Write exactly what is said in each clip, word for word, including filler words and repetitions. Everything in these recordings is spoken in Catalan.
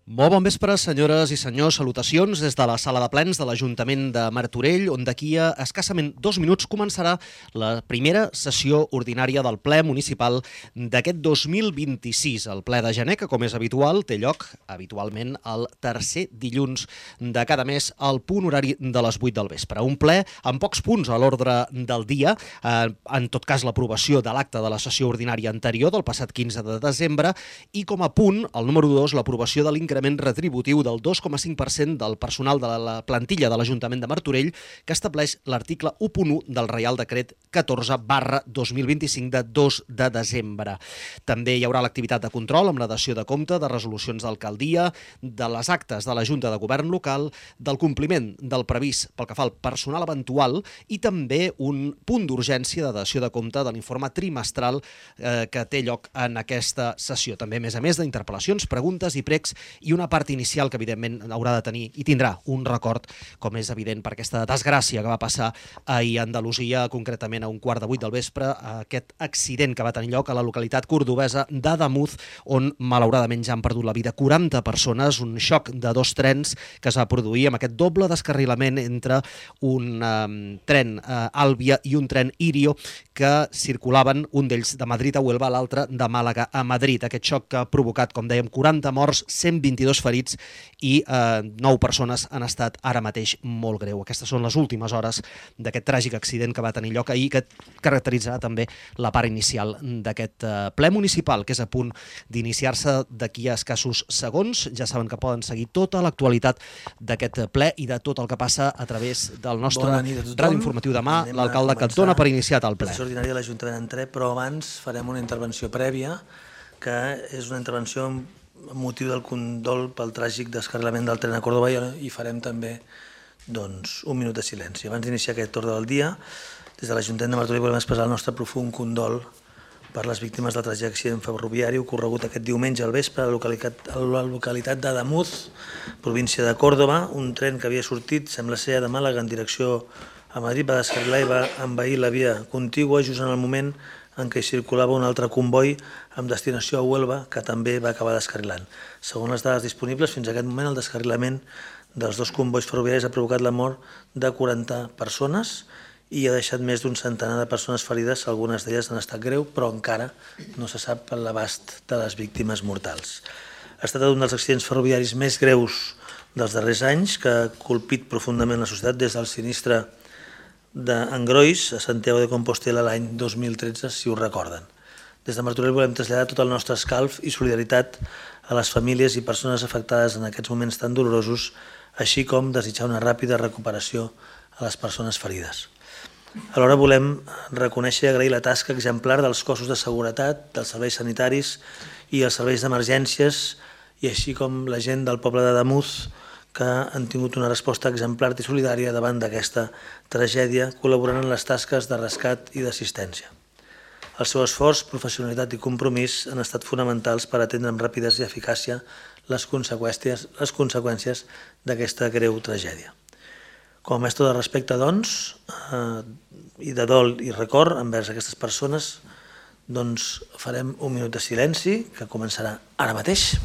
Molt bon vespre, senyores i senyors. Salutacions des de la sala de plens de l'Ajuntament de Martorell, on d'aquí a escassament dos minuts començarà la primera sessió ordinària del ple municipal d'aquest dos mil vint-i-sis. El ple de gener, que com és habitual, té lloc habitualment el tercer dilluns de cada mes al punt horari de les vuit del vespre. Un ple amb pocs punts a l'ordre del dia, eh, en tot cas l'aprovació de l'acte de la sessió ordinària anterior del passat quinze de desembre i com a punt, el número dos, l'aprovació de l'increment retributiu del dos coma cinc per cent del personal de la plantilla de l'Ajuntament de Martorell que estableix l'article u punt u del Reial Decret catorze barra dos mil vint-i-cinc de dos de desembre. També hi haurà l'activitat de control amb la dació de compte de resolucions d'alcaldia, de les actes de la Junta de Govern local, del compliment del previst pel que fa al personal eventual i també un punt d'urgència de dació de compte de l'informe trimestral eh, que té lloc en aquesta sessió. També, a més a més, d'interpel·lacions, preguntes i pregs i una part inicial que, evidentment, haurà de tenir i tindrà un record, com és evident, per aquesta desgràcia que va passar ahir a Andalusia, concretament a un quart de vuit del vespre, aquest accident que va tenir lloc a la localitat cordobesa d'Ademús, on, malauradament, ja han perdut la vida quaranta persones, un xoc de dos trens que es va produir amb aquest doble descarrilament entre un eh, tren eh, Àlvia i un tren Irio que circulaven, un d'ells de Madrid a Huelva, l'altre de Màlaga a Madrid. Aquest xoc que ha provocat, com dèiem, quaranta morts, cent vint-i-dos ferits i eh, nou persones han estat ara mateix molt greu. Aquestes són les últimes hores d'aquest tràgic accident que va tenir lloc ahir, que caracteritzarà també la part inicial d'aquest eh, ple municipal, que és a punt d'iniciar-se d'aquí a escassos segons. Ja saben que poden seguir tota l'actualitat d'aquest ple i de tot el que passa a través del nostre ràdio informatiu demà, l'alcalde que et dona per iniciat el ple. La sessió ordinària de l'Ajuntament d'Entré, però abans farem una intervenció prèvia, que és una intervenció amb motiu del condol pel tràgic descarrilament del tren a Córdoba i farem també doncs, un minut de silenci. Abans d'iniciar aquest ordre del dia, des de l'Ajuntament de Martorell volem expressar el nostre profund condol per les víctimes del tràgic accident ferroviari ocorregut aquest diumenge al vespre a la localitat, a la localitat d'Ademús, província de Córdoba. Un tren que havia sortit, sembla ser, de Màlaga en direcció a Madrid, va descarrilar i va envair la via contigua just en el moment en què hi circulava un altre comboi amb destinació a Huelva, que també va acabar descarrilant. Segons les dades disponibles, fins a aquest moment el descarrilament dels dos combois ferroviaris ha provocat la mort de quaranta persones i ha deixat més d'un centenar de persones ferides, algunes d'elles en estat greu, però encara no se sap l'abast de les víctimes mortals. Ha estat un dels accidents ferroviaris més greus dels darrers anys, que ha colpit profundament la societat des del sinistre d'Engrois a Santiago de Compostela l'any dos mil tretze, si ho recorden. Des de Martorell volem traslladar tot el nostre escalf i solidaritat a les famílies i persones afectades en aquests moments tan dolorosos, així com desitjar una ràpida recuperació a les persones ferides. Alhora volem reconèixer i agrair la tasca exemplar dels cossos de seguretat, dels serveis sanitaris i els serveis d'emergències, i així com la gent del poble d'Ademús, que han tingut una resposta exemplar i solidària davant d'aquesta tragèdia, col·laborant en les tasques de rescat i d'assistència. El seu esforç, professionalitat i compromís han estat fonamentals per atendre amb rapidesa i eficàcia les conseqüències, les conseqüències d'aquesta greu tragèdia. Com a mestre de respecte, doncs, eh, i de dol i record envers aquestes persones, doncs farem un minut de silenci, que començarà ara mateix.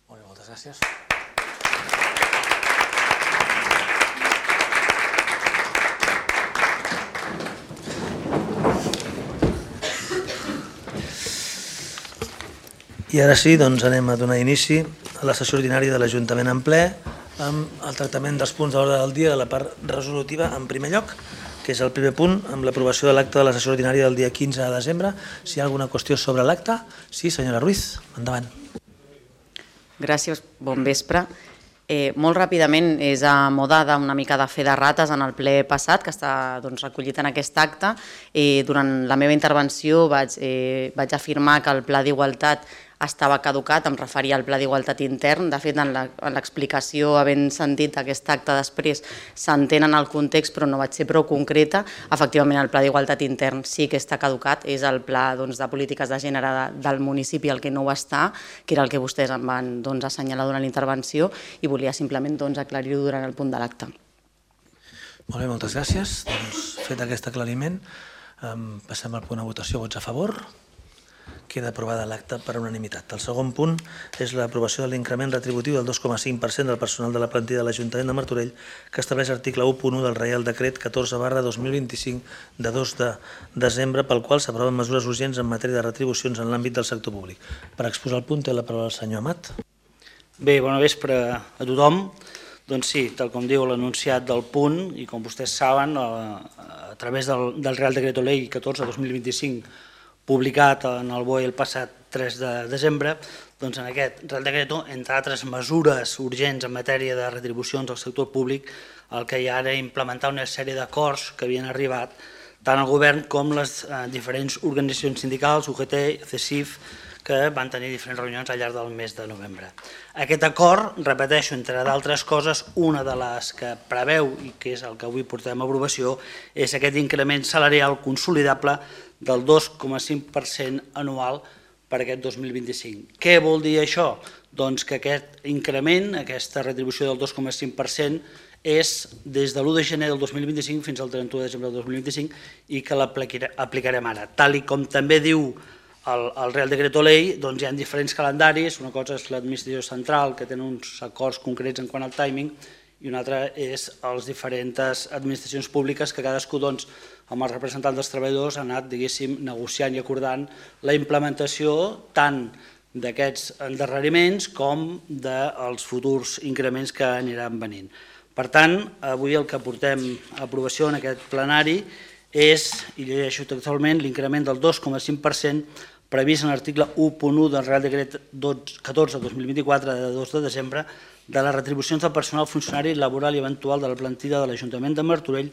Molt bé, moltes gràcies. I I ara sí, doncs anem a donar inici a la sessió ordinària de l'Ajuntament en ple amb el tractament dels punts de l'ordre del dia de la part resolutiva en primer lloc, que és el primer punt, amb l'aprovació de l'acte de la sessió ordinària del dia quinze de desembre. Si hi ha alguna qüestió sobre l'acte? Sí, senyora Ruiz, endavant. Gràcies, bon vespre. Eh, molt ràpidament, és a moda d'una mica de fer de rates en el ple passat, que està doncs, recollit en aquest acte. Eh, durant la meva intervenció vaig, eh, vaig afirmar que el Pla d'Igualtat estava caducat, em referia al Pla d'Igualtat intern. De fet, en l'explicació, havent sentit aquest acte després, s'entén en el context, però no vaig ser prou concreta. Efectivament, el Pla d'Igualtat intern sí que està caducat, és el Pla doncs, de polítiques de gènere del municipi el que no ho està, que era el que vostès em van doncs, assenyalar durant la intervenció, i volia simplement doncs, aclarir-ho durant el punt de l'acte. Molt bé, moltes gràcies. Doncs, fet aquest aclariment, um, passem al punt de votació. Vots a favor? Queda aprovada l'acte per unanimitat. El segon punt és l'aprovació de l'increment retributiu del dos coma cinc per cent del personal de la plantilla de l'Ajuntament de Martorell, que estableix l'article u punt u del Reial Decret catorze barra dos mil vint-i-cinc de dos de desembre, pel qual s'aproven mesures urgents en matèria de retribucions en l'àmbit del sector públic. Per exposar el punt té la paraula el senyor Amat. Bé, bona vespre a tothom. Doncs sí, tal com diu l'anunciat del punt, i com vostès saben, a, a través del, del Real Decreto Ley catorze dos mil vint-i-cinc, publicat en el B O E el passat tres de desembre, doncs en aquest Real Decreto, entre altres mesures urgents en matèria de retribucions al sector públic, el que hi ha era implementar una sèrie d'acords que havien arribat tant el govern com les eh, diferents organitzacions sindicals, U G T, C E S I F, que van tenir diferents reunions al llarg del mes de novembre. Aquest acord, repeteixo, entre d'altres coses, una de les que preveu, i que és el que avui portem a aprovació, és aquest increment salarial consolidable del dos coma cinc per cent anual per aquest dos mil vint-i-cinc. Què vol dir això? Doncs que aquest increment, aquesta retribució del dos coma cinc per cent, és des de l'u de gener del dos mil vint-i-cinc fins al trenta-u de desembre del dos mil vint-i-cinc i que l'aplicarem ara. Tal i com també diu el, el Real Decreto Ley, doncs hi ha diferents calendaris. Una cosa és l'administració central, que té uns acords concrets en quant al timing, i una altra és les diferents administracions públiques que cadascú, doncs, amb els representants dels treballadors, ha anat, diguéssim, negociant i acordant la implementació tant d'aquests endarreriments com dels futurs increments que aniran venint. Per tant, avui el que portem a aprovació en aquest plenari és, i llegeixo textualment, l'increment del dos coma cinc per cent previst en l'article u punt u del Real Decret catorze dos mil vint-i-quatre de dos de desembre de les retribucions del personal funcionari laboral i eventual de la plantilla de l'Ajuntament de Martorell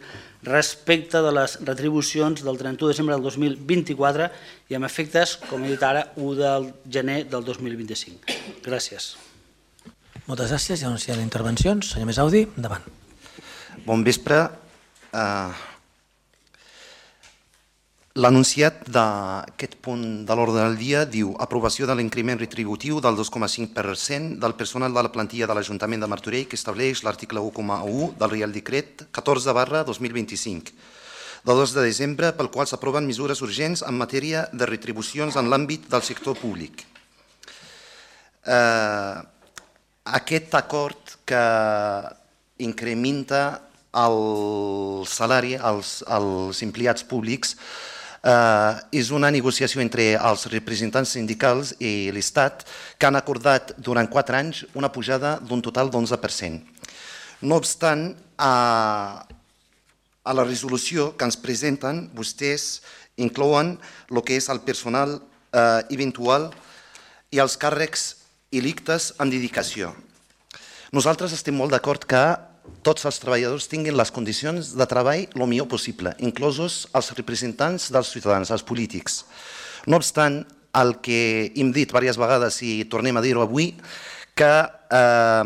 respecte de les retribucions del trenta-u de desembre del dos mil vint-i-quatre i amb efectes, com he dit ara, u de gener del dos mil vint-i-cinc. Gràcies. Moltes gràcies. Ja no hi ha intervencions. Senyor Mesaudi, endavant. Bon vespre. L'anunciat d'aquest punt de l'ordre del dia diu aprovació de l'increment retributiu del dos coma cinc per cent del personal de la plantilla de l'Ajuntament de Martorell que estableix l'article u coma u del Reial Decret catorze barra dos mil vint-i-cinc del dos de desembre, pel qual s'aproven mesures urgents en matèria de retribucions en l'àmbit del sector públic. Eh, aquest acord que incrementa el salari als, als empleats públics Uh, és una negociació entre els representants sindicals i l'Estat que han acordat durant quatre anys una pujada d'un total d'onze per cent. No obstant, a, a la resolució que ens presenten, vostès inclouen el que és el personal uh, eventual i els càrrecs electes en dedicació. Nosaltres estem molt d'acord que tots els treballadors tinguin les condicions de treball el millor possible, inclosos els representants dels ciutadans, els polítics. No obstant, el que hem dit diverses vegades i tornem a dir-ho avui, que eh,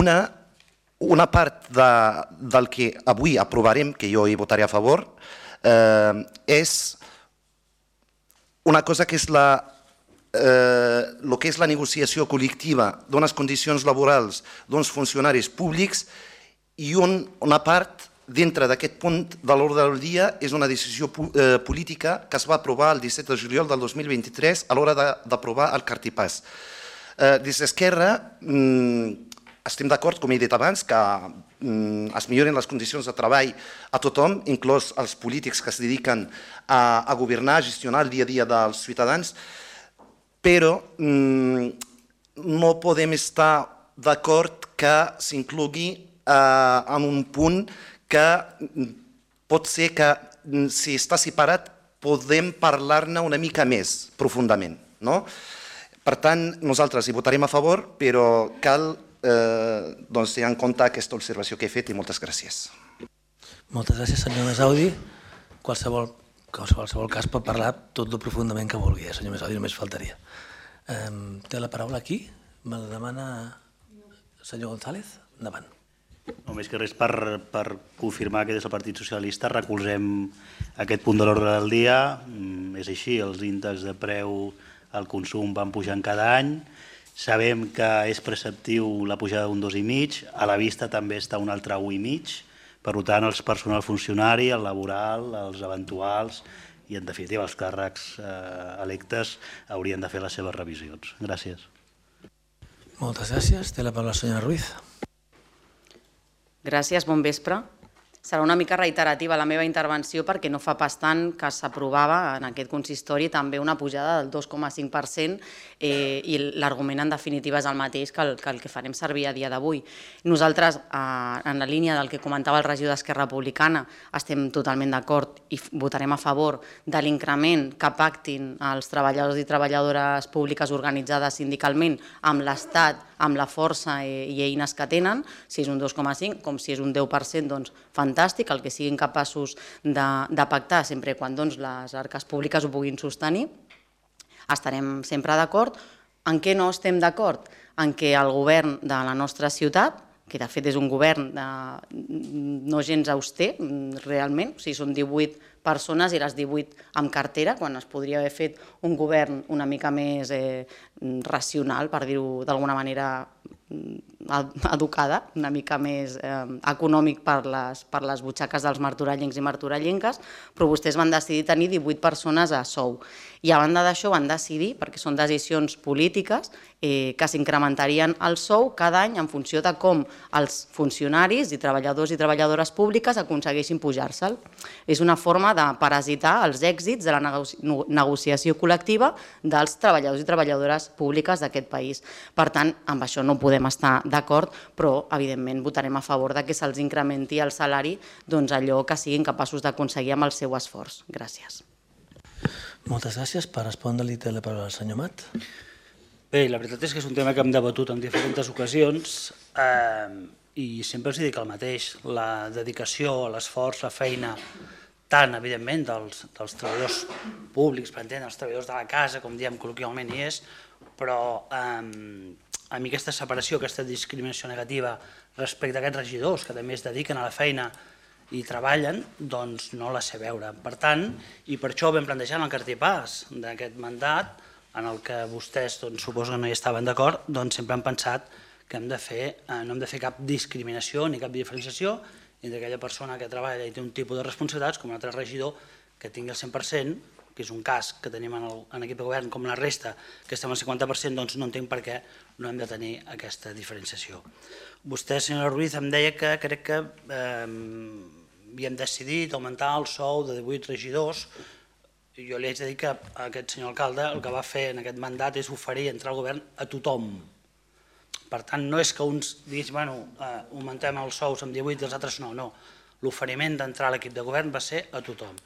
una, una part de, del que avui aprovarem, que jo hi votaré a favor, eh, és una cosa que és la el eh, que és la negociació col·lectiva d'unes condicions laborals d'uns funcionaris públics i un, una part dintre d'aquest punt de l'ordre del dia és una decisió eh, política que es va aprovar el disset de juliol del dos mil vint-i-tres a l'hora d'aprovar el Cartipàs. Eh, des d'Esquerra mm, estem d'acord, com he dit abans, que mm, es milloren les condicions de treball a tothom, inclòs els polítics que es dediquen a, a governar, a gestionar el dia a dia dels ciutadans. però no podem estar d'acord que s'inclogui en un punt que pot ser que, si està separat, podem parlar-ne una mica més profundament. Per tant, nosaltres hi votarem a favor, però cal tenir en compte aquesta observació que he fet i moltes gràcies. Moltes gràcies, senyor Mesaudi. Qualsevol cas pot parlar tot el profundament que vulgui, senyor Mesaudi, només faltaria. Té la paraula aquí? Me la demana el senyor González? Endavant. Només que res per confirmar que des del Partit Socialista recolzem aquest punt de l'ordre del dia. És així, els índexs de preu al consum van pujant cada any. Sabem que és preceptiu la pujada d'un dos i mig, a la vista també està un altre un i mig. Per tant, el personal funcionari, el laboral, els eventuals i, en definitiva, els càrrecs electes haurien de fer les seves revisions. Gràcies. Moltes gràcies. Té la paraula la senyora Ruiz. Gràcies, bon vespre. Serà una mica reiterativa la meva intervenció perquè no fa pas tant que s'aprovava en aquest consistori també una pujada del dos coma cinc per cent i l'argument en definitiva és el mateix que el que farem servir a dia d'avui. Nosaltres, en la línia del que comentava el regidor d'Esquerra Republicana, estem totalment d'acord i votarem a favor de l'increment que pactin els treballadors i treballadores públiques organitzades sindicalment amb l'Estat, amb la força i eines que tenen, si és un dos coma cinc, com si és un deu per cent, doncs fantàstic, el que siguin capaços de pactar sempre quan les arques públiques ho puguin sostenir. Estarem sempre d'acord. En què no estem d'acord? En què el govern de la nostra ciutat, que de fet és un govern no gens auster, realment, o sigui, són divuit persones i les divuit amb cartera, quan es podria haver fet un govern una mica més racional, per dir-ho d'alguna manera educada, una mica més econòmic per les butxaques dels martorellencs i martorellenques, però vostès van decidir tenir divuit persones a sou. I a banda d'això van decidir, perquè són decisions polítiques, que s'incrementarien el sou cada any en funció de com els funcionaris i treballadors i treballadores públiques aconsegueixin pujar-se'l. És una forma de parasitar els èxits de la negociació col·lectiva dels treballadors i treballadores públiques d'aquest país. Per tant, amb això no podem estar d'acord, però evidentment votarem a favor que se'ls incrementi el salari allò que siguin capaços d'aconseguir amb el seu esforç. Gràcies. Moltes gràcies. Per respondre-li té la paraula el senyor Mat. Bé, la veritat és que és un tema que hem debatut en diferents ocasions i sempre els dic el mateix, la dedicació, l'esforç, la feina, tant, evidentment, dels treballadors públics, per entendre, els treballadors de la casa, com diem col·loquialment hi és, però a mi aquesta separació, aquesta discriminació negativa respecte a aquests regidors que també es dediquen a la feina i treballen, doncs no la sé veure. Per tant, i per això ho vam plantejar en el cartipàs d'aquest mandat, en el que vostès suposo que no hi estaven d'acord, doncs sempre han pensat que no hem de fer cap discriminació ni cap diferenciació entre aquella persona que treballa i té un tipus de responsabilitats com un altre regidor que tingui el cent per cent, que és un cas que tenim en l'equip de govern com la resta, que estem al cinquanta per cent, doncs no entenc per què no hem de tenir aquesta diferenciació. Vostè, senyora Ruiz, em deia que crec que havíem decidit augmentar el sou de divuit regidors. Jo li haig de dir que aquest senyor alcalde el que va fer en aquest mandat és oferir entrar al govern a tothom. Per tant, no és que uns diguin, bueno, augmentem els sous amb divuit i els altres no, no. L'oferiment d'entrar a l'equip de govern va ser a tothom.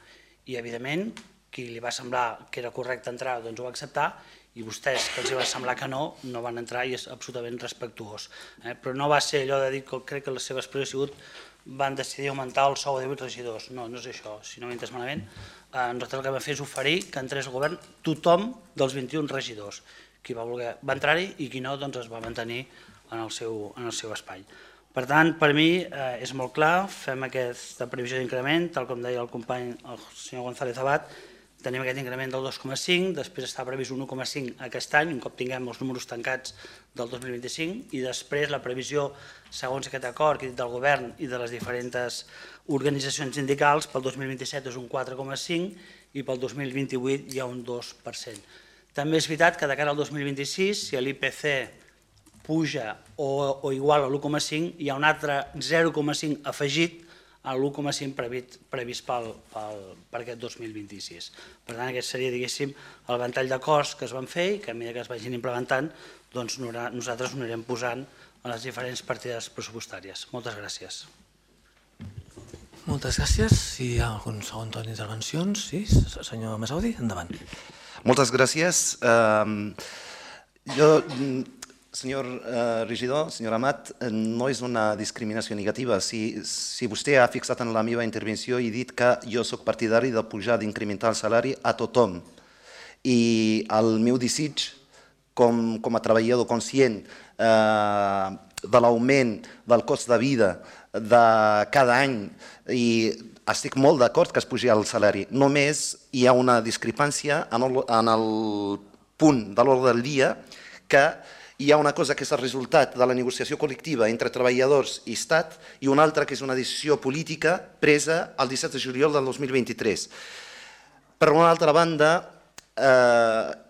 I, evidentment, qui li va semblar que era correcte entrar, doncs ho va acceptar, i vostès, que els va semblar que no, no van entrar i és absolutament respectuós. Però no va ser allò de dir que crec que la seva expressió ha sigut van decidir augmentar el sou de divuit regidors. No, no és això, si no m'he entès malament. Nosaltres el que vam fer és oferir que entrés al govern tothom dels vint-i-un regidors. Qui va voler va entrar-hi i qui no doncs es va mantenir en el seu espai. Per tant, per mi és molt clar, fem aquesta previsió d'increment, tal com deia el company, el senyor González Abad, tenim aquest increment del dos coma cinc, després està previst un un coma cinc aquest any, un cop tinguem els números tancats del dos mil vint-i-cinc, i després la previsió, segons aquest acord que he dit del govern i de les diferents organitzacions sindicals, pel dos mil vint-i-set és un quatre coma cinc i pel dos mil vint-i-vuit hi ha un dos per cent. També és veritat que de cara al dos mil vint-i-sis, si l'I P C puja o igual a l'un coma cinc, hi ha un altre zero coma cinc afegit a l'u coma cinc previst per aquest dos mil vint-i-sis. Per tant, aquest seria, diguéssim, el ventall d'acords que es van fer i que a mesura que es vagin implementant, doncs nosaltres ho anirem posant a les diferents partides pressupostàries. Moltes gràcies. Moltes gràcies. Si hi ha algun segon torn d'intervencions, sí, senyor Mesaudi, endavant. Moltes gràcies. Jo... Senyor regidor, senyor Amat, no és una discriminació negativa. Si vostè ha fixat en la meva intervenció i dit que jo soc partidari de pujar, d'incrementar el salari a tothom. I el meu desig, com a treballador conscient de l'augment del cost de vida de cada any, i estic molt d'acord que es pugi el salari. Només hi ha una discrepància en el punt de l'ordre del dia que hi ha una cosa que és el resultat de la negociació col·lectiva entre treballadors i Estat i una altra que és una decisió política presa el disset de juliol del dos mil vint-i-tres. Per una altra banda,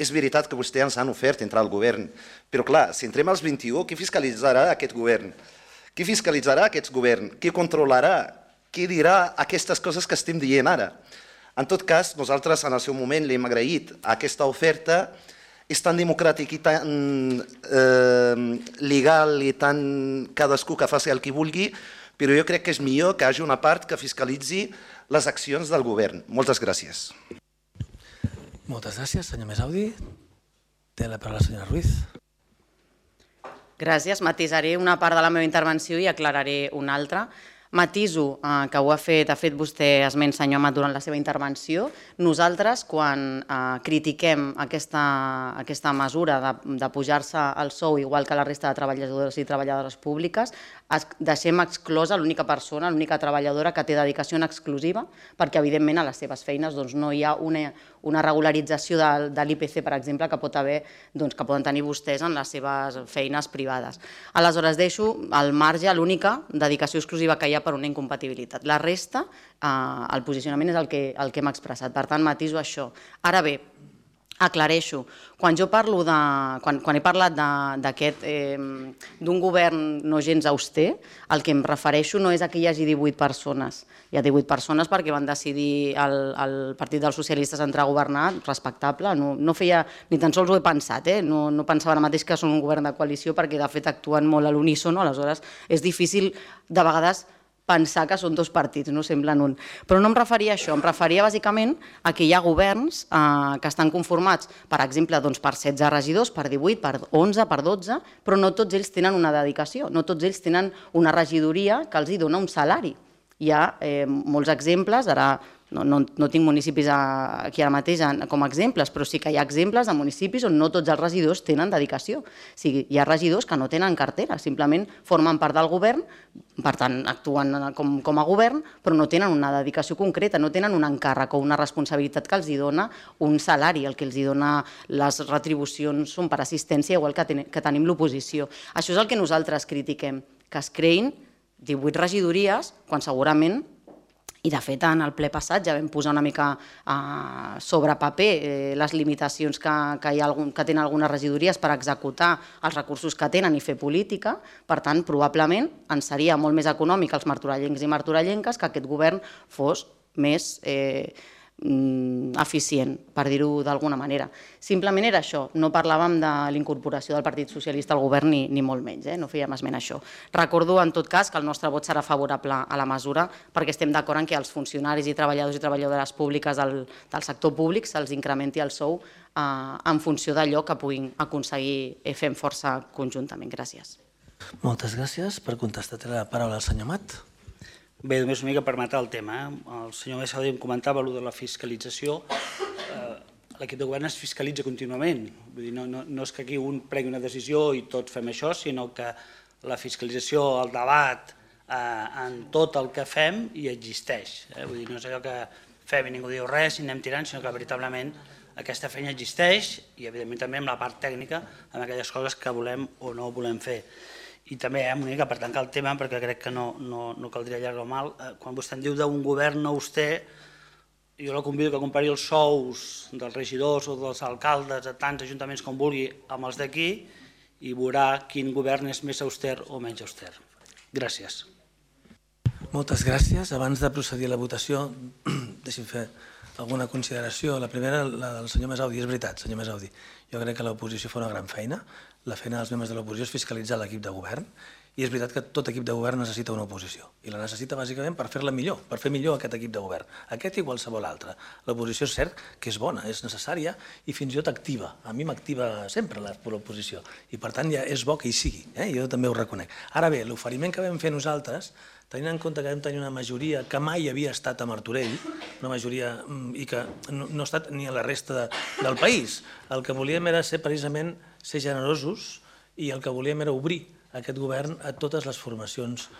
és veritat que vostès ens han ofert entrar al govern, però clar, si entrem als vint-i-u, qui fiscalitzarà aquest govern? Qui fiscalitzarà aquest govern? Qui controlarà? Qui dirà aquestes coses que estem dient ara? En tot cas, nosaltres en el seu moment li hem agraït aquesta oferta. És tan democràtic i tan legal i tan cadascú que faci el que vulgui, però jo crec que és millor que hi hagi una part que fiscalitzi les accions del govern. Moltes gràcies. Moltes gràcies, senyor Mesaudi. Té la paraula la senyora Ruiz. Gràcies. Matisaré una part de la meva intervenció i aclararé una altra. Matiso que ho ha fet, ha fet vostè esment, senyor Amat, durant la seva intervenció. Nosaltres, quan critiquem aquesta mesura de pujar-se el sou, igual que la resta de treballadors i treballadores públiques, deixem exclosa l'única persona, l'única treballadora que té dedicació en exclusiva, perquè evidentment a les seves feines no hi ha una regularització de l'I P C, per exemple, que poden tenir vostès en les seves feines privades. Aleshores, deixo al marge l'única dedicació exclusiva que hi ha per una incompatibilitat. La resta, el posicionament és el que hem expressat. Per tant, matiso això. Ara bé, aclareixo. Quan jo parlo de... Quan he parlat d'aquest... d'un govern no gens auster, el que em refereixo no és que hi hagi divuit persones. Hi ha divuit persones perquè van decidir el Partit dels Socialistes entrar a governar, respectable. No feia... Ni tan sols ho he pensat, eh? No pensava ara mateix que són un govern de coalició perquè de fet actuen molt a l'unísono, aleshores és difícil de vegades pensar que són dos partits, no semblen un. Però no em referia a això, em referia bàsicament a que hi ha governs que estan conformats, per exemple, per setze regidors, per divuit, per onze, per dotze, però no tots ells tenen una dedicació, no tots ells tenen una regidoria que els dona un salari. Hi ha molts exemples, ara no tinc municipis aquí ara mateix com a exemples, però sí que hi ha exemples de municipis on no tots els regidors tenen dedicació. Hi ha regidors que no tenen cartera, simplement formen part del govern, per tant actuen com a govern, però no tenen una dedicació concreta, no tenen un encàrrec o una responsabilitat que els dona un salari, el que els dona les retribucions són per assistència, igual que tenim l'oposició. Això és el que nosaltres critiquem, que es creïn divuit regidories, quan segurament, i de fet en el ple passat ja vam posar una mica sobre paper les limitacions que tenen algunes regidories per executar els recursos que tenen i fer política, per tant probablement ens seria molt més econòmic als martorellencs i martorellenques que aquest govern fos més eficient, per dir-ho d'alguna manera. Simplement era això, no parlàvem de l'incorporació del Partit Socialista al govern ni molt menys, no fèiem esment a això. Recordo en tot cas que el nostre vot serà favorable a la mesura perquè estem d'acord en que els funcionaris i treballadors i treballadores públiques del sector públic se'ls incrementi el sou en funció d'allò que puguin aconseguir fent força conjuntament. Gràcies. Moltes gràcies. Per contestar té la paraula el senyor Amat. Bé, només una mica per matar el tema. El senyor Mesaudi em comentava allò de la fiscalització. L'equip de govern es fiscalitza contínuament. No és que aquí un pregui una decisió i tots fem això, sinó que la fiscalització, el debat en tot el que fem hi existeix. No és allò que fem i ningú diu res i anem tirant, sinó que veritablement aquesta feina existeix i evidentment també amb la part tècnica, amb aquelles coses que volem o no volem fer. I també, una mica per tancar el tema, perquè crec que no caldria allargar mal, quan vostè em diu d'un govern auster, jo la convido que compari els sous dels regidors o dels alcaldes a tants ajuntaments com vulgui amb els d'aquí i veurà quin govern és més auster o menys auster. Gràcies. Moltes gràcies. Abans de procedir a la votació, deixi'm fer alguna consideració. La primera, la del senyor Mesaudi. És veritat, senyor Mesaudi. Jo crec que l'oposició fa una gran feina. La feina dels membres de l'oposició és fiscalitzar l'equip de govern. I és veritat que tot equip de govern necessita una oposició. I la necessita bàsicament per fer-la millor, per fer millor aquest equip de govern. Aquest i qualsevol altre. L'oposició és cert que és bona, és necessària i fins i tot activa. A mi m'activa sempre l'oposició. I per tant ja és bo que hi sigui. Jo també ho reconec. Ara bé, l'oferiment que vam fer nosaltres, tenint en compte que vam tenir una majoria que mai havia estat a Martorell, una majoria i que no ha estat ni a la resta del país, el que volíem era ser precisament ser generosos i el que volíem era obrir aquest govern a totes les formacions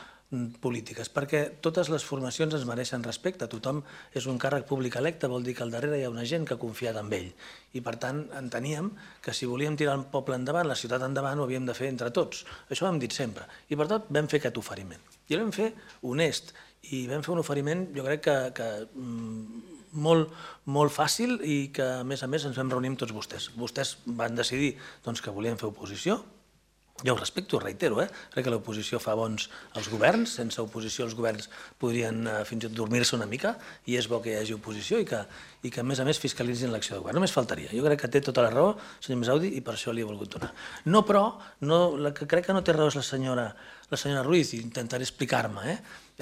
polítiques, perquè totes les formacions ens mereixen respecte. Tothom és un càrrec públic electe, vol dir que al darrere hi ha una gent que ha confiat en ell. I per tant enteníem que si volíem tirar el poble endavant, la ciutat endavant, ho havíem de fer entre tots. Això ho hem dit sempre. I per tot vam fer aquest oferiment. I el vam fer honest. I vam fer un oferiment, jo crec que, que molt, molt fàcil i que a més a més ens vam reunir amb tots vostès. Vostès van decidir doncs, que volien fer oposició. Jo ho respecto, ho reitero, eh? Crec que l'oposició fa bons als governs, sense oposició els governs podrien eh, fins i tot dormir-se una mica, i és bo que hi hagi oposició i que, i que a més a més fiscalitzin l'acció de govern. Només faltaria. Jo crec que té tota la raó, senyor Mesaudi, i per això li he volgut donar. No, però, no, la que crec que no té raó és la senyora, la senyora Ruiz, i intentaré explicar-me. Eh?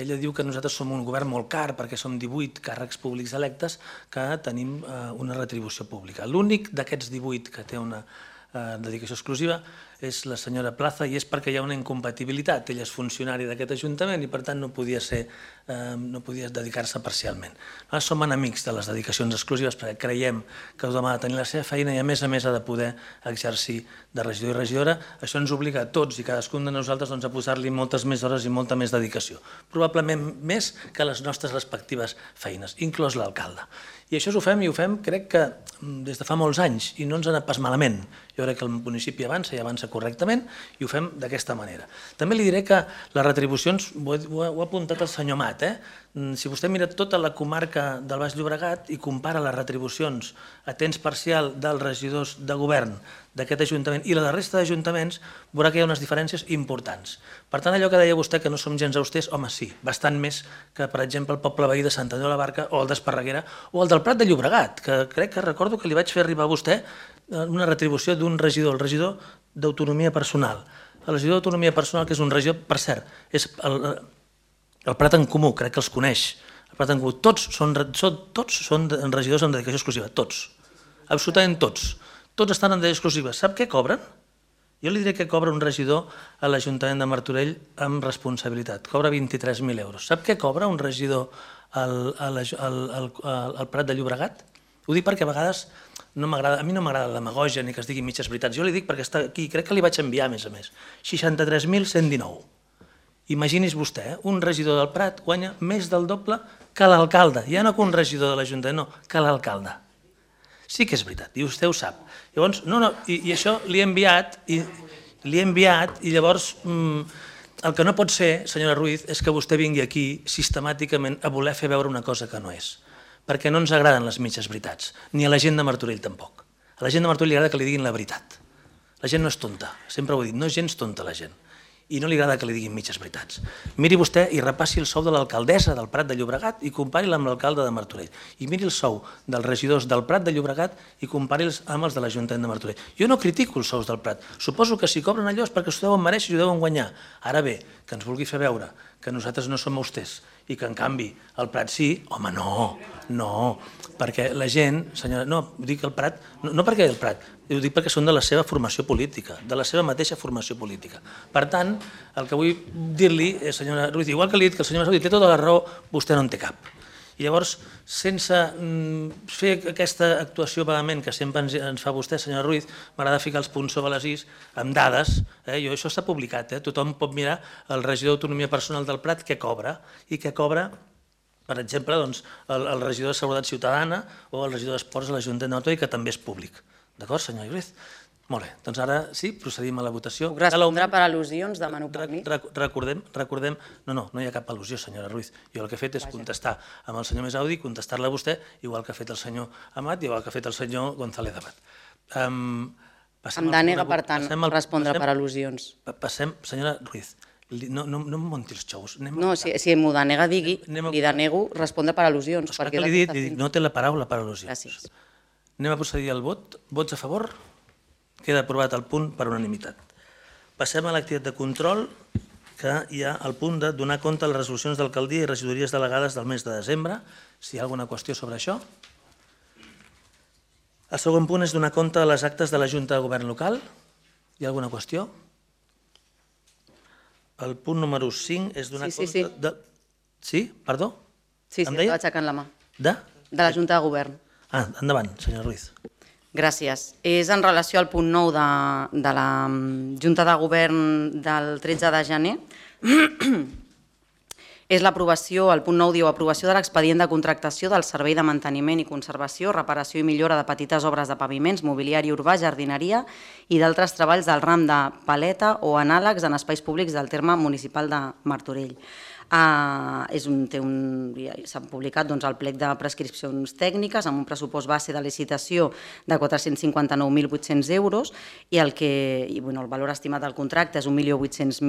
Ella diu que nosaltres som un govern molt car perquè som divuit càrrecs públics electes que tenim eh, una retribució pública. L'únic d'aquests divuit que té una eh, dedicació exclusiva és la senyora Plaza, i és perquè hi ha una incompatibilitat. Ella és funcionari d'aquest Ajuntament i per tant no podia ser, eh, no podia dedicar-se parcialment. Nosaltres som enemics de les dedicacions exclusives perquè creiem que tothom ha de tenir la seva feina i a més a més ha de poder exercir de regidor i regidora. Això ens obliga a tots i cadascun de nosaltres doncs, a posar-li moltes més hores i molta més dedicació. Probablement més que les nostres respectives feines, inclòs l'alcalde. I això ho fem i ho fem crec que des de fa molts anys i no ens ha anat pas malament. Jo crec que el municipi avança i avança correctament i ho fem d'aquesta manera. També li diré que les retribucions, ho ha apuntat el senyor Mat, eh? Si vostè mira tota la comarca del Baix Llobregat i compara les retribucions a temps parcial dels regidors de govern d'aquest Ajuntament i la de la resta d'ajuntaments, veurà que hi ha unes diferències importants. Per tant, allò que deia vostè que no som gens austers, home, sí, bastant més que, per exemple, el poble veí de Sant Andreu de la Barca o el d'Esparreguera o el del Prat de Llobregat, que crec que recordo que li vaig fer arribar a vostè una retribució d'un regidor, el regidor d'autonomia personal. El regidor d'autonomia personal, que és un regidor, per cert, és el, el Prat en Comú, crec que els coneix. El Prat en Comú, tots són, tots són regidors amb dedicació exclusiva, tots, absolutament tots. Tots estan en dedicació exclusiva. Sap què cobren? Jo li diré que cobra un regidor a l'Ajuntament de Martorell amb responsabilitat. Cobra vint-i-tres mil euros. Sap què cobra un regidor al, al, al, al, al Prat de Llobregat? Ho dic perquè a vegades no m'agrada, a mi no m'agrada la demagogia ni que es digui mitges veritats. Jo li dic perquè està aquí, crec que li vaig enviar a més a més. seixanta-tres mil cent dinou. Imagini's vostè, eh? Un regidor del Prat guanya més del doble que l'alcalde. Ja no que un regidor de l'Ajuntament, no, que l'alcalde. Sí que és veritat, i vostè ho sap. Llavors, no, no, i, i això li he enviat, i li he enviat, i llavors mmm, el que no pot ser, senyora Ruiz, és que vostè vingui aquí sistemàticament a voler fer veure una cosa que no és. Perquè no ens agraden les mitges veritats, ni a la gent de Martorell tampoc. A la gent de Martorell li agrada que li diguin la veritat. La gent no és tonta, sempre ho he dit, no és gens tonta la gent. I no li agrada que li diguin mitges veritats. Miri vostè i repassi el sou de l'alcaldessa del Prat de Llobregat i compari-la amb l'alcalde de Martorell. I miri el sou dels regidors del Prat de Llobregat i compari-los amb els de l'Ajuntament de Martorell. Jo no critico els sous del Prat. Suposo que si cobren allò és perquè s'ho deuen mereixer i ho deuen guanyar. Ara bé, que ens vulgui fer veure que nosaltres no som austers i que en canvi el Prat sí, home, no, no, perquè la gent, senyora, no, ho dic el Prat, no, no perquè el Prat, ho dic perquè són de la seva formació política, de la seva mateixa formació política. Per tant, el que vull dir-li, senyora Ruiz, igual que li he dit que el senyor Mesaudi té tota la raó, vostè no en té cap. I llavors, sense fer aquesta actuació vehement que sempre ens fa vostè, senyora Ruiz, m'agrada ficar els punts sobre les is amb dades. Jo, això està publicat, tothom pot mirar el regidor d'autonomia personal del Prat què cobra i què cobra, per exemple, el regidor de Seguretat Ciutadana o el regidor d'Esports a l'Ajuntament de Martorell, que també és públic. D'acord, senyora Ruiz? Molt bé, doncs ara sí, procedim a la votació. Puc respondre per al·lusions, demano permís? Recordem, recordem... No, no, no hi ha cap al·lusió, senyora Ruiz. Jo el que he fet és contestar amb el senyor Mesaudi, contestar-la a vostè, igual que ha fet el senyor Amat, igual que ha fet el senyor González Amat. Em denega, per tant, respondre per al·lusions. Passem, senyora Ruiz, No, no, no em munti els xous. No, si, si m'ho denega, digui, li denego respondre per al·lusions. Esclar que li he dit, li dic, no té la paraula per al·lusions. Gràcies. Anem a procedir al vot. Vots a favor? Queda aprovat el punt per unanimitat. Passem a l'activitat de control, que hi ha el punt de donar compte a les resolucions d'alcaldia i regidories delegades del mes de desembre. Si hi ha alguna qüestió sobre això. El segon punt és donar compte de les actes de la Junta de Govern local. Hi ha alguna qüestió? El punt número cinc és donar Sí, sí, compte... De... Sí? Perdó? Sí, sí, estava aixecant la mà. De? De la Junta de Govern. Ah, endavant, senyor Ruiz. Gràcies. És en relació al punt nou de, de la Junta de Govern del tretze de gener. És l'aprovació, el punt nou diu, aprovació de l'expedient de contractació del Servei de Manteniment i Conservació, Reparació i Millora de petites obres de paviments, mobiliari urbà, jardineria i d'altres treballs del ram de paleta o anàlegs en espais públics del terme municipal de Martorell. Uh, és un, té un, ja s'ha publicat doncs, el plec de prescripcions tècniques amb un pressupost base de licitació de quatre-cents cinquanta-nou mil vuit-cents euros i el, que, i, bueno, el valor estimat del contracte és un milió vuit-cents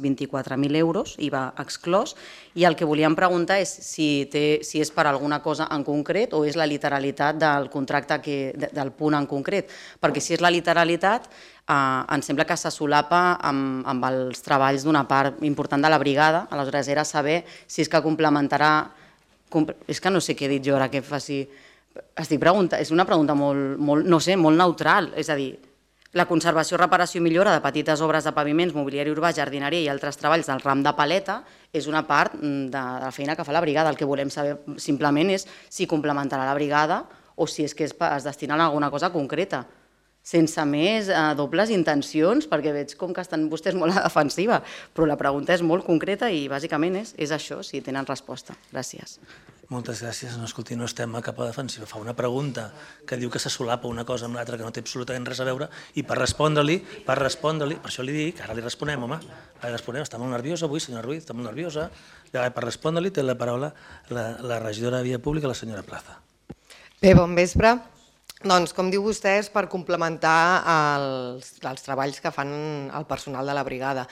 vint-i-quatre mil euros, I V A exclòs, i el que volíem preguntar és si, té, si és per alguna cosa en concret o és la literalitat del contracte que, de, del punt en concret, perquè si és la literalitat Uh, em sembla que se solapa amb, amb els treballs d'una part important de la brigada, aleshores era saber si és que complementarà... Comple és que no sé què he dit jo ara que faci... Estic preguntant, és una pregunta molt, molt, no sé, molt neutral, és a dir, la conservació, reparació i millora de petites obres de paviments, mobiliari urbà, jardineria i altres treballs del ram de paleta és una part de, de la feina que fa la brigada. El que volem saber simplement és si complementarà la brigada o si és que es, es destina a alguna cosa concreta, sense més eh, dobles intencions, perquè veig com que estan vostès molt a la defensiva, però la pregunta és molt concreta i bàsicament és, és això, si tenen resposta. Gràcies. Moltes gràcies. No, escolti, no estem a cap a defensiva. Fa una pregunta que diu que se solapa una cosa amb l'altra que no té absolutament res a veure i per respondre-li, per respondre-li, per això li dic, ara li responem, home, ara li responem, està molt nerviosa avui, senyora Ruiz, està molt nerviosa. Per respondre-li té la paraula la, la regidora de Via Pública, la senyora Plaza. Bé, bon vespre. Doncs, com diu vostè, és per complementar els, els treballs que fan el personal de la brigada.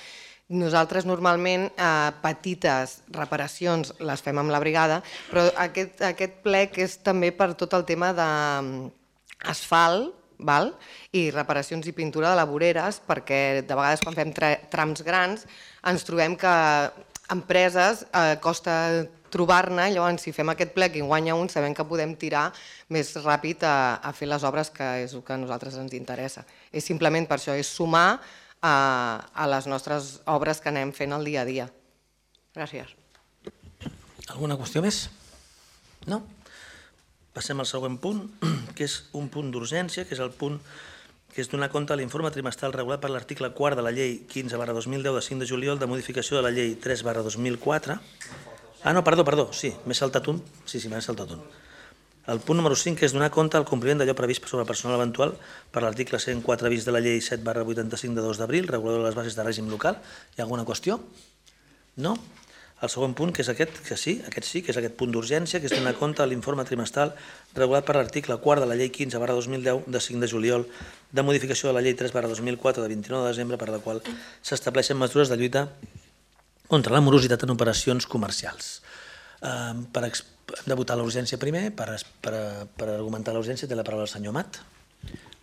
Nosaltres normalment eh, petites reparacions les fem amb la brigada, però aquest, aquest plec és també per tot el tema d'asfalt, val? I reparacions i pintura de la voreres, perquè de vegades quan fem trams grans ens trobem que empreses eh, costa trobar-ne, llavors si fem aquest plec i guanya un sabem que podem tirar més ràpid a, a fer les obres, que és el que a nosaltres ens interessa. És simplement per això, és sumar a, a les nostres obres que anem fent el dia a dia. Gràcies. Alguna qüestió més? No? Passem al següent punt, que és un punt d'urgència, que és el punt que és donar compte a l'informe trimestral regulat per l'article quart de la llei quinze barra dos mil deu de cinc de juliol de modificació de la llei tres barra dos mil quatre. Ah, no, perdó, perdó, sí, m'he saltat un. Sí, sí, m'he saltat un. El punt número cinc és donar compte al compliment d'allò previst sobre el personal eventual per l'article cent quatre bis de la llei set barra vuitanta-cinc de dos d'abril, regulador de les bases de règim local. Hi ha alguna qüestió? No? El següent punt, que és aquest, que sí, aquest sí, que és aquest punt d'urgència, que és donar compte a l'informe trimestral regulat per l'article quart de la llei quinze barra dos mil deu de cinc de juliol de modificació de la llei tres barra dos mil quatre de vint-i-nou de desembre, per la qual s'estableixen mesures de lluita contra la morositat en operacions comercials. Eh, per, hem de votar l'urgència primer, per, per, per argumentar l'urgència té la paraula el senyor Amat.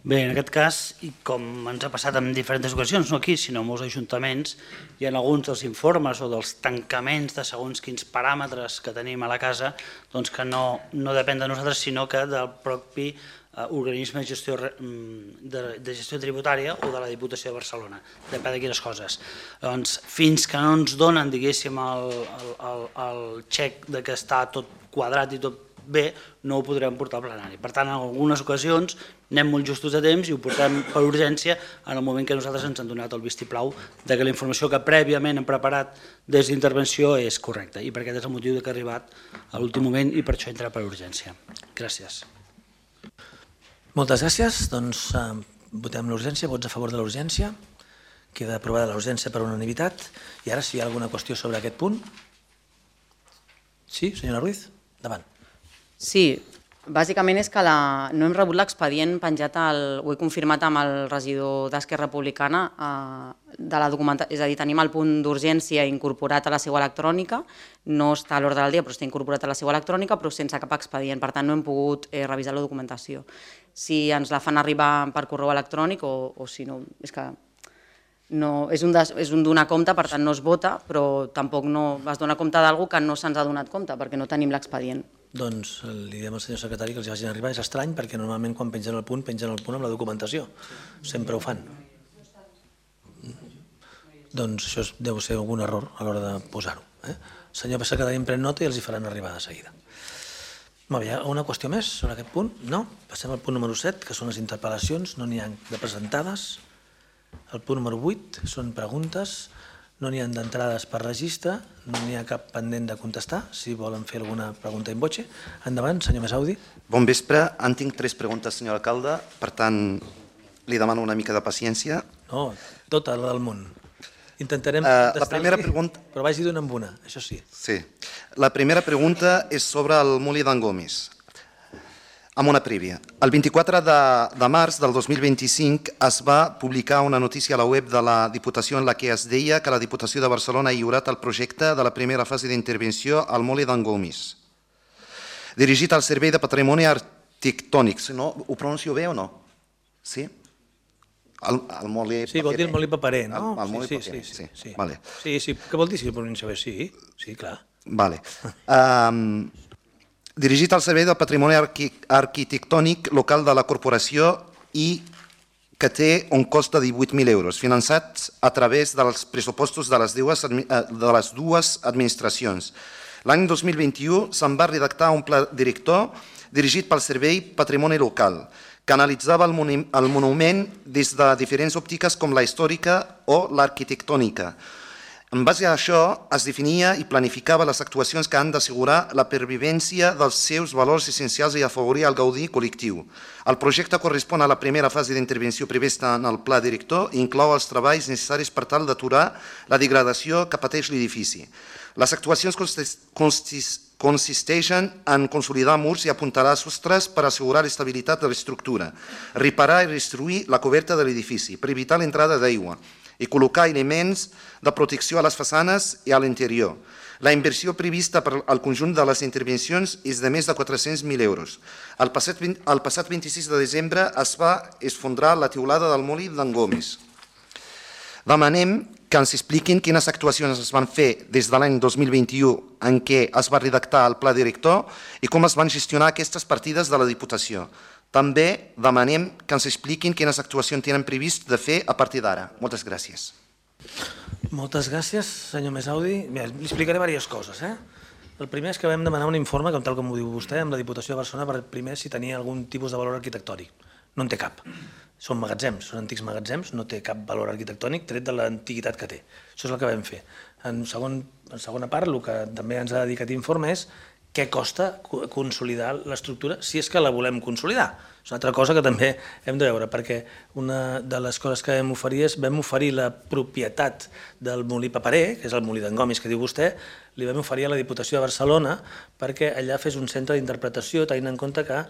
Bé, en aquest cas, i com ens ha passat en diferents ocasions, no aquí, sinó en molts ajuntaments, hi ha alguns dels informes o dels tancaments de segons quins paràmetres que tenim a la casa doncs que no, no depèn de nosaltres, sinó que del propi eh, organisme de gestió, de, de gestió tributària o de la Diputació de Barcelona. Depèn de quines coses. Doncs, fins que no ens donen, diguéssim, el, el, el, el xec de que està tot quadrat i tot bé, no ho podrem portar al plenari. Per tant, en algunes ocasions anem molt justos de temps i ho portem per urgència en el moment que nosaltres ens han donat el vistiplau de que la informació que prèviament hem preparat des d'intervenció és correcta i per aquest és el motiu que ha arribat a l'últim moment i per això entra per urgència. Gràcies. Moltes gràcies. Doncs eh, votem l'urgència. Vots a favor de l'urgència. Queda aprovada l'urgència per unanimitat. I ara, si hi ha alguna qüestió sobre aquest punt. Sí, senyora Ruiz? Endavant. Sí, Bàsicament és que no hem rebut l'expedient penjat, ho he confirmat amb el regidor d'Esquerra Republicana, de la documentació, és a dir, tenim el punt d'urgència incorporat a la seu electrònica, no està a l'ordre del dia però està incorporat a la seu electrònica però sense cap expedient, per tant no hem pogut revisar la documentació. Si ens la fan arribar per correu electrònic o si no, és que és un donar compte, per tant no es vota, però tampoc no es dona compte d'alguna cosa que no se'ns ha donat compte perquè no tenim l'expedient. Doncs li diem al senyor secretari que els hi vagin arribar. És estrany perquè normalment quan pengen el punt, pengen el punt amb la documentació. Sempre ho fan. Doncs això deu ser algun error a l'hora de posar-ho. El senyor secretari en pren nota i els hi faran arribar de seguida. Molt bé, hi ha una qüestió més sobre aquest punt? No? Passem al punt número set, que són les interpel·lacions. No n'hi ha de presentades. El punt número vuit són preguntes. No n'hi ha d'entrades per registre, no n'hi ha cap pendent de contestar. Si volen fer alguna pregunta in voce. Endavant, senyor Mesaudi. Bon vespre. En tinc tres preguntes, senyor alcalde. Per tant, li demano una mica de paciència. No, tota la del món. Intentarem contestar-li, però vagi d'una en una, això sí. Sí. La primera pregunta és sobre el molí d'en Gomis. Amb una prèvia. El vint-i-quatre de març del dos mil vint-i-cinc es va publicar una notícia a la web de la Diputació en la que es deia que la Diputació de Barcelona ha lliurat el projecte de la primera fase d'intervenció al molí d'en Gomis, dirigit al Servei de Patrimoni Arquitectònic. No, ho pronuncio bé o no? Sí? El molí paperer. Sí, vol dir el molí paperer, no? El molí paperer, sí. Sí, sí. Què vol dir si ho pronuncio bé? Sí, sí, clar. Vale. Dirigit al Servei del Patrimoni Arquitectònic local de la corporació i que té un cost de divuit mil euros, finançats a través dels pressupostos de les dues administracions. L'any dos mil vint-i-u se'n va redactar un pla director dirigit pel Servei Patrimoni Local, que analitzava el monument des de diferents òptiques com la històrica o l'arquitectònica. En base a això, es definia i planificava les actuacions que han d'assegurar la pervivència dels seus valors essencials i afavorir el gaudi col·lectiu. El projecte correspon a la primera fase d'intervenció prevista en el pla director i inclou els treballs necessaris per tal d'aturar la degradació que pateix l'edifici. Les actuacions consisteixen en consolidar murs i apuntalar sostres per assegurar l'estabilitat de l'estructura, reparar i restituir la coberta de l'edifici per evitar l'entrada d'aigua i col·locar elements de protecció a les façanes i a l'interior. La inversió prevista per al conjunt de les intervencions és de més de quatre-cents mil euros. El passat vint-i-sis de desembre es va esfondrar la teulada del molí d'en Gomis. Demanem que ens expliquin quines actuacions es van fer des de l'any dos mil vint-i-u en què es va redactar el pla director i com es van gestionar aquestes partides de la Diputació. També demanem que ens expliquin quines actuacions tenen previst de fer a partir d'ara. Moltes gràcies. Moltes gràcies, senyor Mesaudi. Li explicaré diverses coses. El primer és que vam demanar un informe, tal com ho diu vostè, amb la Diputació de Barcelona per primer si tenia algun tipus de valor arquitectònic. No en té cap. Són magatzems, són antics magatzems, no té cap valor arquitectònic tret de l'antiguitat que té. Això és el que vam fer. En segona part, el que també ens ha dedicat informe és què costa consolidar l'estructura si és que la volem consolidar. És una altra cosa que també hem de veure, perquè una de les coses que vam oferir és vam oferir la propietat del molí paperer, que és el molí d'en Gomis que diu vostè, li vam oferir a la Diputació de Barcelona perquè allà fes un centre d'interpretació tenint en compte que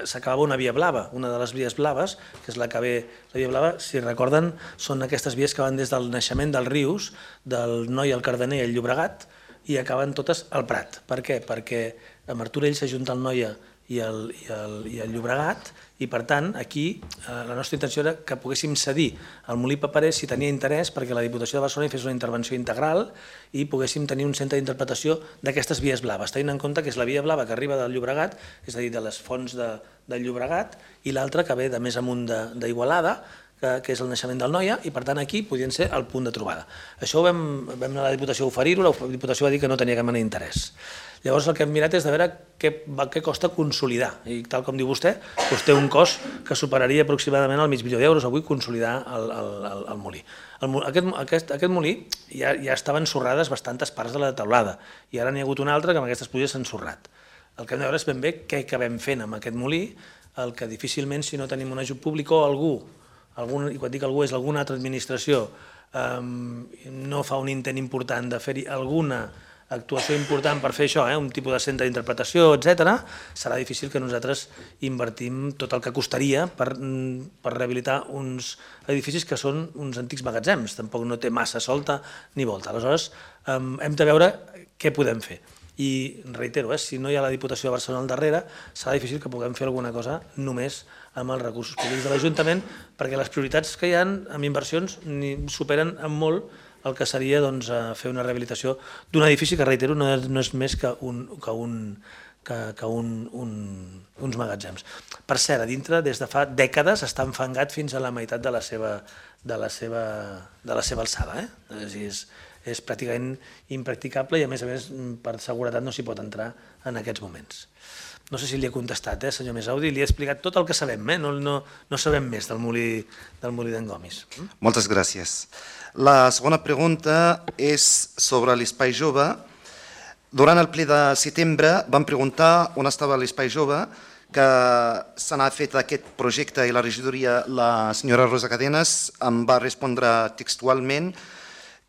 s'acabava una via blava, una de les vies blaves, que és la que ve, la via blava, si recorden, són aquestes vies que van des del naixement dels rius, del Noi, el Cardener i el Llobregat, i acaben totes al Prat. Per què? Perquè a Martorell s'ajunta el Noia i el, i, el, i el Llobregat i per tant aquí eh, la nostra intenció era que poguéssim cedir al molí paperer si tenia interès perquè la Diputació de Barcelona hi fes una intervenció integral i poguéssim tenir un centre d'interpretació d'aquestes vies blaves, tenint en compte que és la via blava que arriba del Llobregat, és a dir, de les fonts de, del Llobregat i l'altra que ve de més amunt d'Igualada, que és el naixement del Noia, i per tant aquí podien ser el punt de trobada. Això ho vam, vam anar a la Diputació a oferir-ho, la Diputació va dir que no tenia cap mena d'interès. Llavors el que hem mirat és de veure què, què costa consolidar, i tal com diu vostè, doncs té un cost que superaria aproximadament el mig milió d'euros avui consolidar el, el, el, el molí. El, aquest, aquest, aquest molí ja, ja estaven ensorrades bastantes parts de la teulada, i ara n'hi ha hagut una altra que amb aquestes pluges s'ha ensorrat. El que hem de veure és ben bé què acabem fent amb aquest molí, el que difícilment si no tenim un ajut públic o algú, algun, i quan dic algú és alguna altra administració, um, no fa un intent important de fer-hi alguna actuació important per fer això, un tipus de centre d'interpretació, etcètera, serà difícil que nosaltres invertim tot el que costaria per rehabilitar uns edificis que són uns antics magatzems. Tampoc no té massa solta ni volta. Aleshores, hem de veure què podem fer. I reitero, si no hi ha la Diputació de Barcelona al darrere, serà difícil que puguem fer alguna cosa només amb els recursos públics de l'Ajuntament, perquè les prioritats que hi ha amb inversions superen en molt el que seria fer una rehabilitació d'un edifici que, reitero, no és més que uns magatzems. Per cert, a dintre, des de fa dècades, està enfangat fins a la meitat de la seva alçada. És pràcticament impracticable i, a més a més, per seguretat no s'hi pot entrar en aquests moments. No sé si li he contestat, senyor Mesaudi, li he explicat tot el que sabem, no sabem més del molí d'en Gomis. Moltes gràcies. La segona pregunta és sobre l'Espai Jove. Durant el ple de setembre vam preguntar on estava l'Espai Jove, que se n'ha fet aquest projecte i la regidoria, la senyora Rosa Cadenes, em va respondre textualment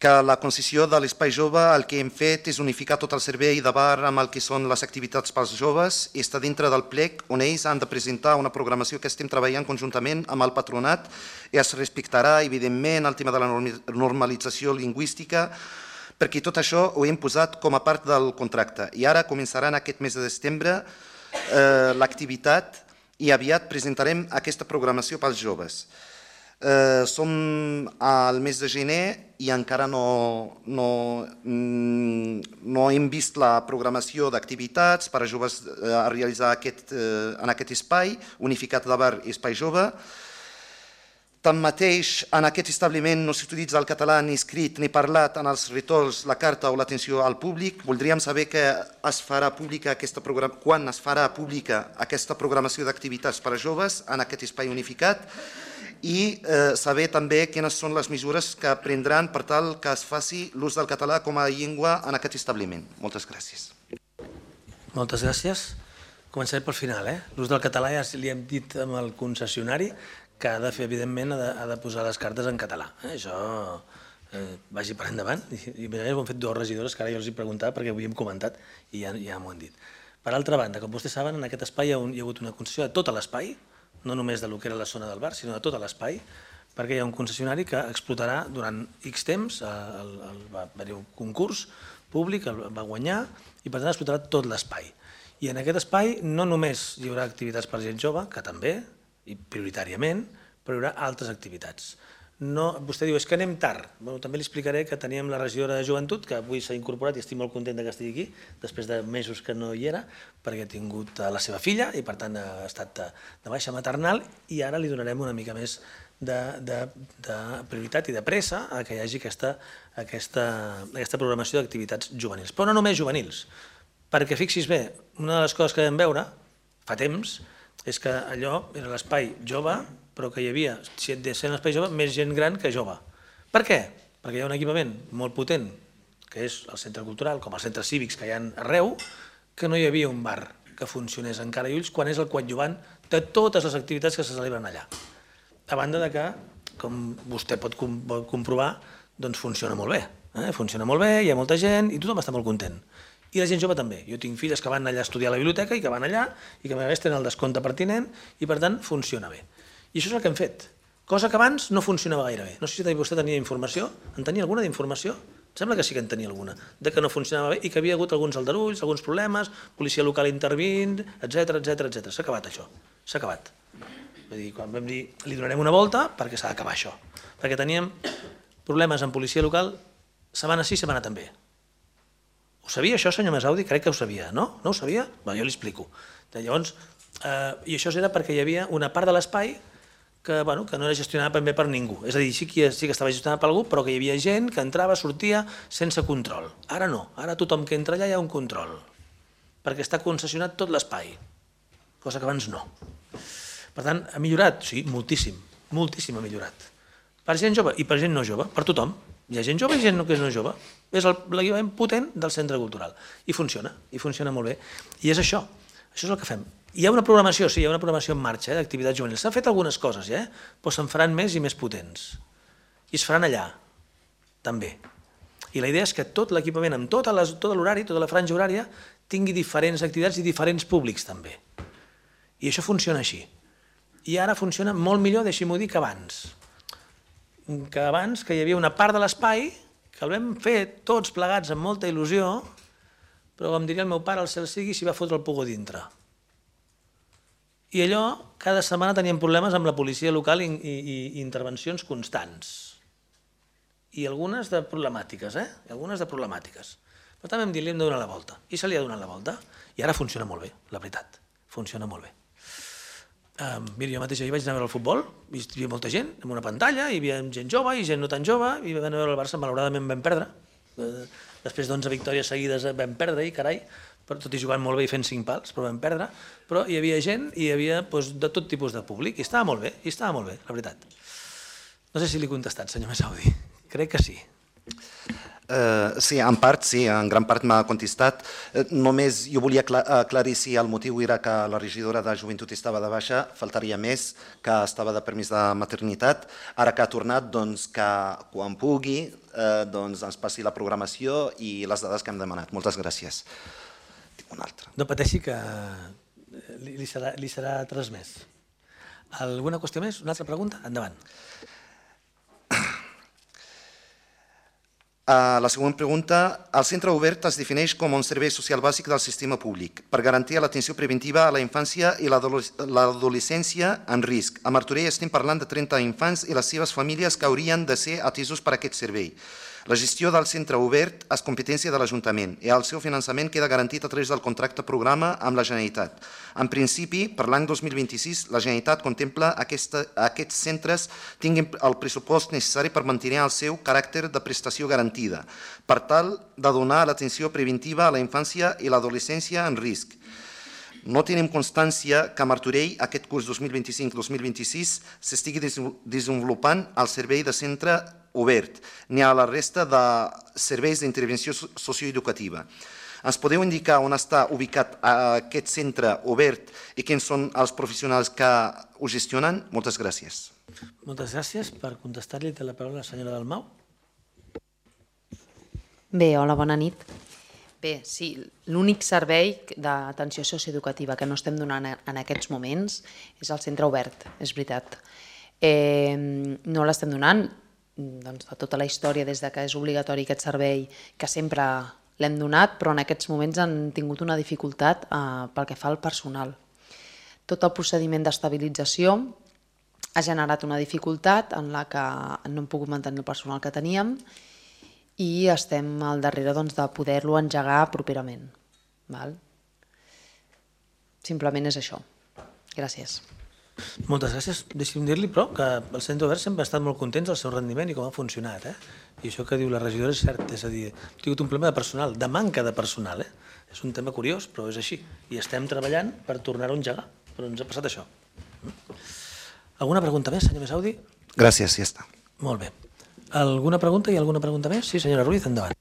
que la concessió de l'Espai Jove el que hem fet és unificar tot el servei de bar amb el que són les activitats pels joves i està dintre del plec on ells han de presentar una programació que estem treballant conjuntament amb el patronat i es respectarà, evidentment, el tema de la normalització lingüística, perquè tot això ho hem posat com a part del contracte. I ara començarà en aquest mes de setembre l'activitat i aviat presentarem aquesta programació pels joves. Som al mes de gener i encara no hem vist la programació d'activitats per a joves a realitzar en aquest espai, unificat de bar i espai jove. Tanmateix, en aquest establiment no s'utilitza el català ni escrit ni parlat en els retols, la carta o l'atenció al públic. Voldríem saber que es farà pública quan es farà pública aquesta programació d'activitats per a joves en aquest espai unificat i saber també quines són les mesures que prendran per tal que es faci l'ús del català com a llengua en aquest establiment. Moltes gràcies. Moltes gràcies. Començaré pel final. L'ús del català ja li hem dit amb el concessionari que ha de fer, evidentment, ha de posar les cartes en català. Això vagi per endavant. I ho hem fet dues regidores que ara jo els he preguntat perquè ho havíem comentat i ja m'ho han dit. Per altra banda, com vostès saben, en aquest espai hi ha hagut una concessió de tot l'espai, no només del que era la zona del bar, sinó de tot l'espai, perquè hi ha un concessionari que explotarà durant X temps, va haver-hi un concurs públic, el va guanyar i per tant explotarà tot l'espai. I en aquest espai no només hi haurà activitats per gent jove, que també, i prioritàriament, però hi haurà altres activitats. Vostè diu, és que anem tard. També li explicaré que teníem la regidora de joventut, que avui s'ha incorporat i estic molt content que estigui aquí, després de mesos que no hi era, perquè ha tingut la seva filla i per tant ha estat de baixa maternal i ara li donarem una mica més de prioritat i de pressa a que hi hagi aquesta programació d'activitats juvenils. Però no només juvenils, perquè fixis bé, una de les coses que vam veure fa temps és que allò era l'espai jove, però que hi havia, si et sent l'espai jove, més gent gran que jove. Per què? Perquè hi ha un equipament molt potent, que és el centre cultural, com els centres cívics que hi ha arreu, que no hi havia un bar que funcionés encara i ulls quan és el coadjuvant de totes les activitats que se celebren allà. A banda de que, com vostè pot comprovar, doncs funciona molt bé. Funciona molt bé, hi ha molta gent i tothom està molt content. I la gent jove també. Jo tinc filles que van allà a estudiar a la biblioteca i que van allà i que a més tenen el descompte pertinent i per tant funciona bé. I això és el que hem fet, cosa que abans no funcionava gaire bé. No sé si vostè tenia informació, en tenia alguna d'informació? Em sembla que sí que en tenia alguna, de que no funcionava bé i que havia hagut alguns aldarulls, alguns problemes, policia local intervint, etcètera, etcètera, etcètera. S'ha acabat això, s'ha acabat. Vull dir, quan vam dir, li donarem una volta perquè s'ha d'acabar això. Perquè teníem problemes amb policia local setmana sí, setmana també. Ho sabia això, senyor Mesaudi? Crec que ho sabia, no? No ho sabia? Jo li explico. Llavors, i això era perquè hi havia una part de l'espai que no era gestionada ben bé per ningú. És a dir, sí que estava gestionada per algú, però que hi havia gent que entrava, sortia, sense control. Ara no, ara tothom que entra allà hi ha un control, perquè està concessionat tot l'espai, cosa que abans no. Per tant, ha millorat? Sí, moltíssim, moltíssim ha millorat. Per gent jove i per gent no jove, per tothom. Hi ha gent jove i gent que no és jove. És l'equipament potent del centre cultural. I funciona, i funciona molt bé. I és això, això és el que fem. Hi ha una programació, sí, hi ha una programació en marxa d'activitats juvenils. S'han fet algunes coses, però se'n faran més i més potents. I es faran allà, també. I la idea és que tot l'equipament, amb tot l'horari, tota la franja horària, tingui diferents activitats i diferents públics també. I això funciona així. I ara funciona molt millor, deixi-m'ho dir, que abans. Que abans, que hi havia una part de l'espai que el vam fer tots plegats amb molta il·lusió, però com diria el meu pare, el cel sigui, s'hi va fotre el pugó dintre. I allò, cada setmana teníem problemes amb la policia local i, i, i intervencions constants. I algunes de problemàtiques, eh? I algunes de problemàtiques. Però també em dit, li hem de donar la volta. I se li ha donat la volta. I ara funciona molt bé, la veritat. Funciona molt bé. Uh, mira, jo mateix ahir vaig anar a veure el futbol, hi havia molta gent, amb una pantalla, hi havia gent jove i gent no tan jove, i vam anar a veure el Barça, malauradament vam perdre. Uh, després d'onze victòries seguides vam perdre, i carai, però tot i jugant molt bé i fent cinc pals, però vam perdre, però hi havia gent i hi havia doncs, de tot tipus de públic, i estava molt bé, i estava molt bé, la veritat. No sé si li he contestat, senyor Messaudi, crec que sí. Uh, sí, en part sí, en gran part m'ha contestat. Uh, només jo volia aclarir si el motiu era que la regidora de joventut estava de baixa, faltaria més, que estava de permís de maternitat. Ara que ha tornat, doncs que quan pugui uh, doncs ens passi la programació i les dades que hem demanat. Moltes gràcies. Tinc una altra. No pateixi que li, li, serà, li serà transmès. Alguna qüestió més? Una altra pregunta? Endavant. Uh, la següent pregunta. El centre obert es defineix com un servei social bàsic del sistema públic per garantir l'atenció preventiva a la infància i l'adolescència en risc. A Martorell estem parlant de trenta infants i les seves famílies que haurien de ser atesos per aquest servei. La gestió del centre obert és competència de l'Ajuntament i el seu finançament queda garantit a través del contracte programa amb la Generalitat. En principi, per l'any dos mil vint-i-sis, la Generalitat contempla que aquests centres tinguin el pressupost necessari per mantenir el seu caràcter de prestació garantida, per tal de donar l'atenció preventiva a la infància i l'adolescència en risc. No tenim constància que a Martorell aquest curs dos mil vint-i-cinc dos mil vint-i-sis s'estigui desenvolupant el servei de centre obert, ni a la resta de serveis d'intervenció socioeducativa. Ens podeu indicar on està ubicat aquest centre obert i quins són els professionals que ho gestionen? Moltes gràcies. Moltes gràcies. Per contestar-li té la paraula la senyora Dalmau. Bé, hola, bona nit. Bé, sí, l'únic servei d'atenció socioeducativa que no estem donant en aquests moments és el centre obert, és veritat. Eh, no l'estem donant, doncs, de tota la història, des que és obligatori aquest servei, que sempre l'hem donat, però en aquests moments han tingut una dificultat eh, pel que fa al personal. Tot el procediment d'estabilització ha generat una dificultat en la que no hem pogut mantenir el personal que teníem i estem al darrere doncs, de poder-lo engegar properament. Val? Simplement és això. Gràcies. Moltes gràcies. Deixi'm dir-li, però, que el centre obert sempre ha estat molt contents del seu rendiment i com ha funcionat. Eh? I això que diu la regidora és cert, és a dir, hem tingut un problema de personal, de manca de personal. Eh? És un tema curiós, però és així. I estem treballant per tornar-ho a engegar, però ens ha passat això. Alguna pregunta més, senyor Messaudi? Gràcies, ja està. Molt bé. Alguna pregunta i alguna pregunta més? Sí, senyora Ruiz, endavant.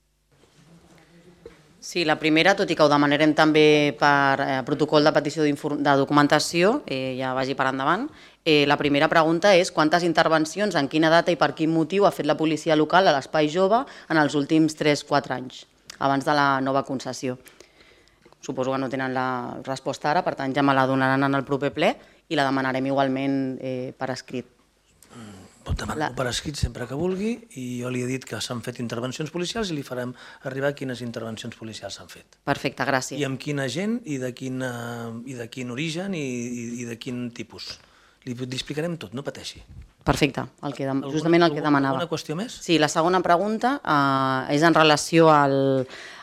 Sí, la primera, tot i que ho demanarem també per eh, protocol de petició de documentació, eh, ja vagi per endavant, eh, la primera pregunta és quantes intervencions, en quina data i per quin motiu ha fet la policia local a l'Espai Jove en els últims tres quatre anys, abans de la nova concessió. Suposo que no tenen la resposta ara, per tant ja me la donaran en el proper ple i la demanarem igualment eh, per escrit. Pot demanar-ho per escrit sempre que vulgui i jo li he dit que s'han fet intervencions policials i li farem arribar quines intervencions policials s'han fet. Perfecte, gràcies. I amb quina gent i de quin, i de quin origen i, i de quin tipus. Li, li explicarem tot, no pateixi. Perfecte, el que, justament el que demanava. Alguna qüestió més? Sí, la segona pregunta eh, és en relació al...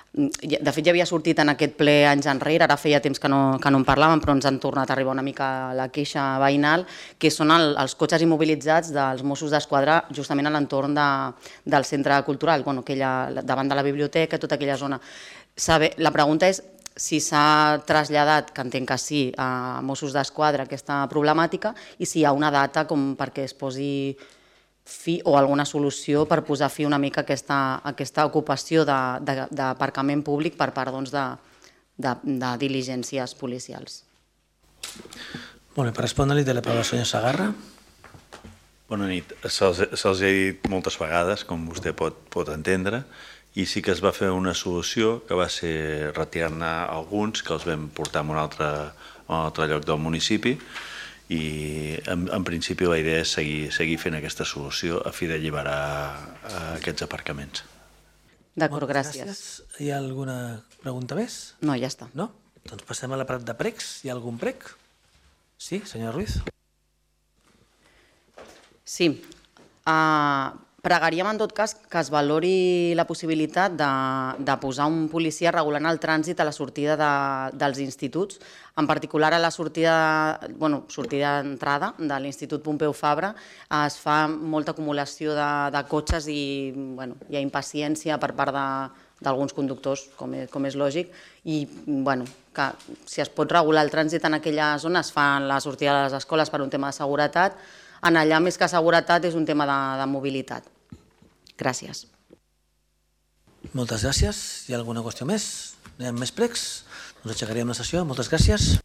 De fet, ja havia sortit en aquest ple anys enrere, ara feia temps que no, que no en parlàvem, però ens han tornat a arribar una mica la queixa veïnal, que són el, els cotxes immobilitzats dels Mossos d'Esquadra justament a l'entorn de, del centre cultural, bueno, aquella, davant de la biblioteca, tota aquella zona. Saber, la pregunta és si s'ha traslladat, que entenc que sí, a Mossos d'Esquadra aquesta problemàtica i si hi ha una data com perquè es posi fi o alguna solució per posar fi una mica a aquesta, aquesta ocupació d'aparcament públic per part doncs, de, de, de diligències policials. Molt bé, per respondre-li té la paraula el senyor Segarra. Bona nit. Se'ls se ha dit moltes vegades, com vostè pot, pot entendre, i sí que es va fer una solució que va ser retirar-ne alguns que els vam portar a un altre, a un altre lloc del municipi i en, en principi la idea és seguir, seguir fent aquesta solució a fi d'alliberar aquests aparcaments. D'acord, gràcies. gràcies. Hi ha alguna pregunta més? No, ja està. No? Doncs passem a l'aparat de pregs. Hi ha algun prec? Sí, senyora Ruiz? Sí. Uh, pregaríem en tot cas que es valori la possibilitat de, de posar un policia regulant el trànsit a la sortida de, dels instituts, en particular a la sortida, bueno, sortida d'entrada de l'Institut Pompeu Fabra. Es fa molta acumulació de, de cotxes i bueno, hi ha impaciència per part de d'alguns conductors, com és, com és lògic, i bueno, que si es pot regular el trànsit en aquella zona, es fa la sortida de les escoles per un tema de seguretat, en allà més que seguretat és un tema de, de mobilitat. Gràcies. Moltes gràcies. Hi ha alguna qüestió més? Hi ha més pregs? Doncs aixecaríem la sessió. Moltes gràcies.